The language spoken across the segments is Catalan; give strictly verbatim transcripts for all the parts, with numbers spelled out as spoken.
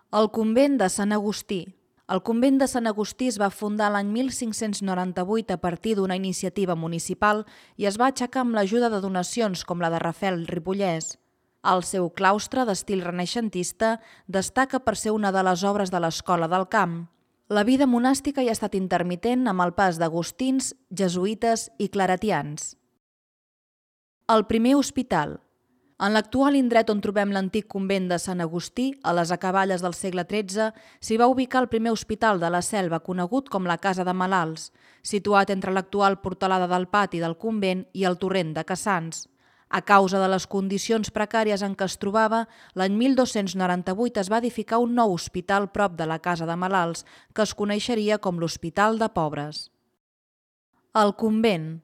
El convent de Sant Agustí. El convent de Sant Agustí es va fundar l'any mil cinc-cents noranta-vuit a partir d'una iniciativa municipal i es va aixecar amb l'ajuda de donacions com la de Rafel Ripollès. El seu claustre, d'estil renaixentista, destaca per ser una de les obres de l'Escola del Camp. La vida monàstica hi ha estat intermitent amb el pas d'agustins, jesuïtes i claretians. El primer hospital. En l'actual indret on trobem l'antic convent de Sant Agustí, a les acaballes del segle tretze, s'hi va ubicar el primer hospital de la Selva, conegut com la Casa de Malalts, situat entre l'actual portalada del pati del convent i el torrent de Cassans. A causa de les condicions precàries en què es trobava, l'any mil dos-cents noranta-vuit es va edificar un nou hospital prop de la Casa de Malalts, que es coneixeria com l'Hospital de Pobres. El convent.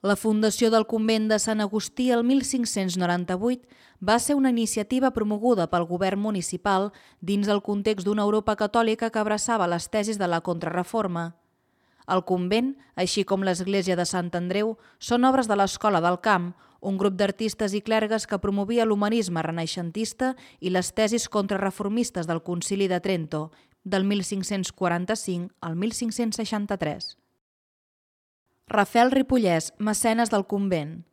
La fundació del convent de Sant Agustí el mil cinc-cents noranta-vuit va ser una iniciativa promoguda pel govern municipal dins el context d'una Europa catòlica que abraçava les tesis de la Contrareforma. El convent, així com l'església de Sant Andreu, són obres de l'Escola del Camp, un grup d'artistes i clergues que promovia l'humanisme renaixentista i les tesis contrarreformistes del Concili de Trento, del mil cinc-cents quaranta-cinc al mil cinc-cents seixanta-tres. Rafel Ripollès, mecenes del convent.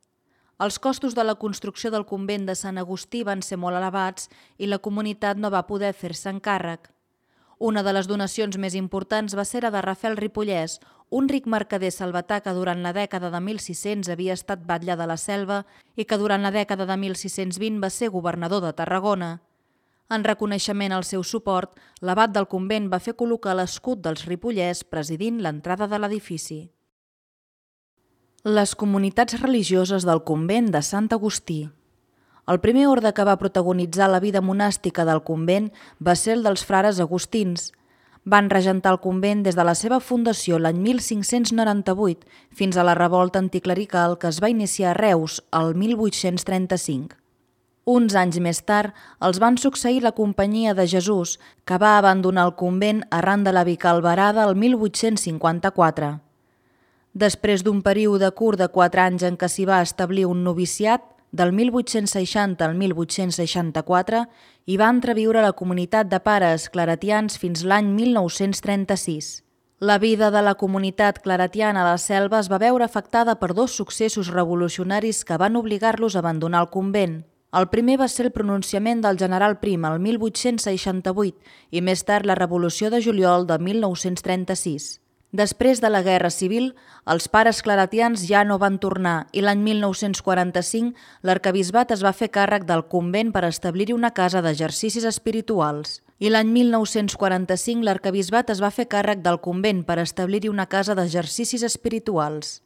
Els costos de la construcció del convent de Sant Agustí van ser molt elevats i la comunitat no va poder fer-se'n càrrec. Una de les donacions més importants va ser la de Rafel Ripollès, un ric mercader salvatà que durant la dècada de mil sis-cents havia estat batlle de la Selva i que durant la dècada de mil sis-cents vint va ser governador de Tarragona. En reconeixement al seu suport, l'abat del convent va fer col·locar l'escut dels Ripollès presidint l'entrada de l'edifici. Les comunitats religioses del convent de Sant Agustí. El primer orde que va protagonitzar la vida monàstica del convent va ser el dels frares agustins. Van regentar el convent des de la seva fundació l'any mil cinc-cents noranta-vuit fins a la revolta anticlerical que es va iniciar a Reus el mil vuit-cents trenta-cinc. Uns anys més tard els van succeir la Companyia de Jesús, que va abandonar el convent arran de la bicalverada el mil vuit-cents cinquanta-quatre. Després d'un període curt de quatre anys en què s'hi va establir un noviciat, del mil vuit-cents seixanta al mil vuit-cents seixanta-quatre, hi va entreviure la comunitat de pares claretians fins l'any mil nou-cents trenta-sis. La vida de la comunitat claretiana a la Selva es va veure afectada per dos successos revolucionaris que van obligar-los a abandonar el convent. El primer va ser el pronunciament del general Prim el mil vuit-cents seixanta-vuit i més tard la Revolució de Juliol de mil nou-cents trenta-sis. Després de la Guerra Civil, els pares claretians ja no van tornar i l'any mil nou-cents quaranta-cinc l'arquebisbat es va fer càrrec del convent per establir-hi una casa d'exercicis espirituals. I l'any mil nou-cents quaranta-cinc l'arquebisbat es va fer càrrec del convent per establir-hi una casa d'exercicis espirituals.